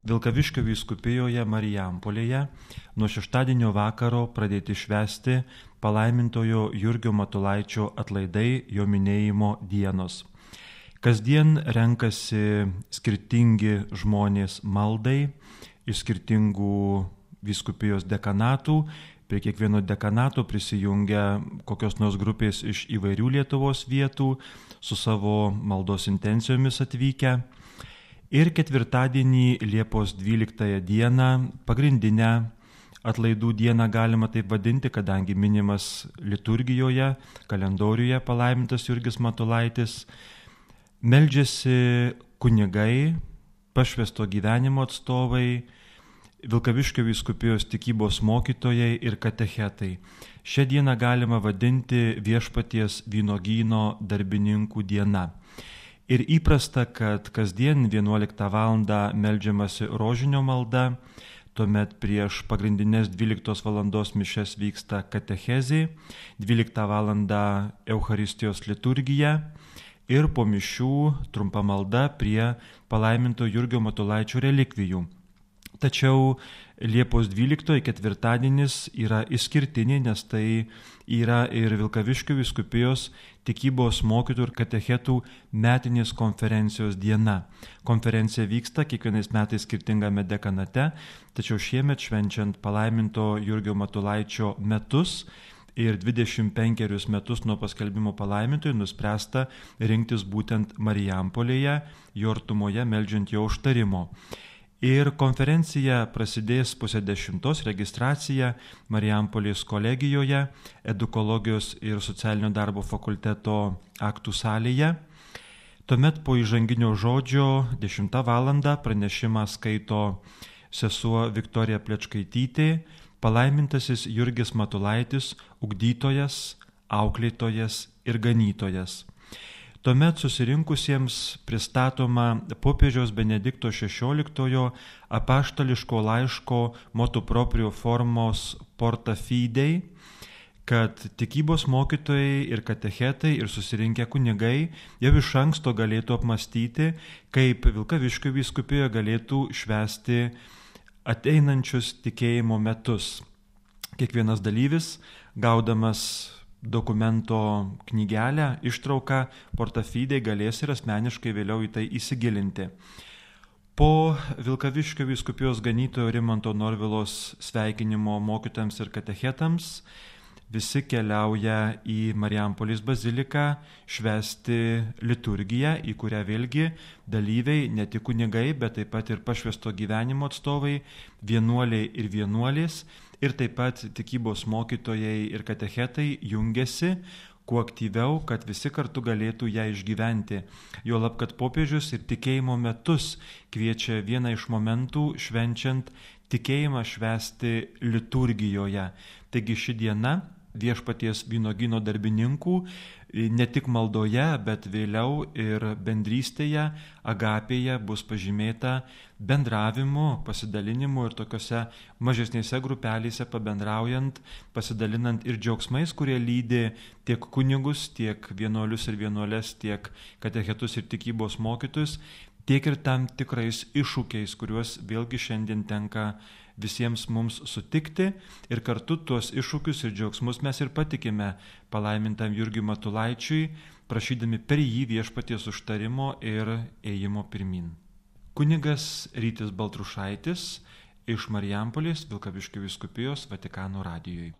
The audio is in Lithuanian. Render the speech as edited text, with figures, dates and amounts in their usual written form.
Vilkaviškio vyskupijoje Marijampolėje nuo šeštadienio vakaro pradėti švęsti palaimintojo Jurgio Matulaičio atlaidai, jo minėjimo dienos. Kasdien renkasi skirtingi žmonės maldai iš skirtingų vyskupijos dekanatų. Prie kiekvieno dekanato prisijungia kokios nors grupės iš įvairių Lietuvos vietų su savo maldos intencijomis atvykę. Ir ketvirtadienį Liepos 12 dieną, pagrindinę atlaidų dieną galima taip vadinti, kadangi minimas liturgijoje, kalendoriuje palaimintas Jurgis Matulaitis, meldžiasi kunigai, pašvęsto gyvenimo atstovai, Vilkaviškio vyskupijos tikybos mokytojai ir katechetai. Šią dieną galima vadinti viešpaties vynuogyno darbininkų diena. Ir įprasta, kad kasdien 11 val. Meldžiamasi rožinio malda, tuomet prieš pagrindinės 12 val. Mišias vyksta katechezė, 12 val. Eucharistijos liturgija ir po mišių trumpa malda prie palaiminto Jurgio Matulaičio relikvijų. Tačiau Liepos 12 ketvirtadienis yra išskirtinė, nes tai yra ir Vilkaviškio vyskupijos tikybos mokytojų ir katechetų metinės konferencijos diena. Konferencija vyksta kiekvienais metais skirtingame dekanate, tačiau šiemet švenčiant palaiminto Jurgio Matulaičio metus ir 25 metus nuo paskelbimo palaimintojui nuspręsta rinktis būtent Marijampolėje, jo artumoje meldžiant jo užtarimo. Ir konferencija prasidės 9:30, registracija Marijampolės kolegijoje, edukologijos ir socialinio darbo fakulteto aktų salėje. Tuomet po įžanginio žodžio 10 val. Pranešimą skaito sesuo Viktorija Plečkaitytė, palaimintasis Jurgis Matulaitis, ugdytojas, auklėtojas ir ganytojas. Tuomet susirinkusiems pristatoma popiežiaus Benedikto XVI apaštališko laiško motu proprio formos Porta Fidei, kad tikybos mokytojai ir katechetai ir susirinkę kunigai jau iš anksto galėtų apmastyti, kaip Vilkaviškio vyskupijoje galėtų švęsti ateinančius tikėjimo metus. Kiekvienas dalyvis, gaudamas dokumento knygelę, ištrauką Porta Fidei, galės ir asmeniškai vėliau į tai įsigilinti. Po Vilkaviškio vyskupijos ganytojo Rimanto Norvilos sveikinimo mokytojams ir katechetams visi keliauja į Marijampolės baziliką švęsti liturgiją, į kurią vėlgi dalyviai, ne tik kunigai, bet taip pat ir pašvęsto gyvenimo atstovai, vienuoliai ir vienuolės, ir taip pat tikybos mokytojai ir katechetai jungiasi kuo aktyviau, kad visi kartu galėtų ją išgyventi. Juolab, kad popiežius ir tikėjimo metus kviečia vieną iš momentų švenčiant tikėjimą švęsti liturgijoje. Taigi ši diena viešpaties vynuogyno darbininkų ne tik maldoje, bet vėliau ir bendrystėje, agapėje bus pažymėta bendravimu, pasidalinimu ir tokiose mažesnėse grupelėse pabendraujant, pasidalinant ir džiaugsmais, kurie lydi tiek kunigus, tiek vienuolius ir vienuolės, tiek katechetus ir tikybos mokytojus, tiek ir tam tikrais iššūkiais, kuriuos vėlgi šiandien tenka visiems mums sutikti, ir kartu tuos iššūkius ir džiaugsmus mes ir patikime palaimintam Jurgiui Matulaičiui, prašydami per jį viešpaties užtarimo ir ėjimo pirmin. Kunigas Rytis Baltrušaitis iš Marijampolės Vilkaviškio vyskupijos Vatikano radijui.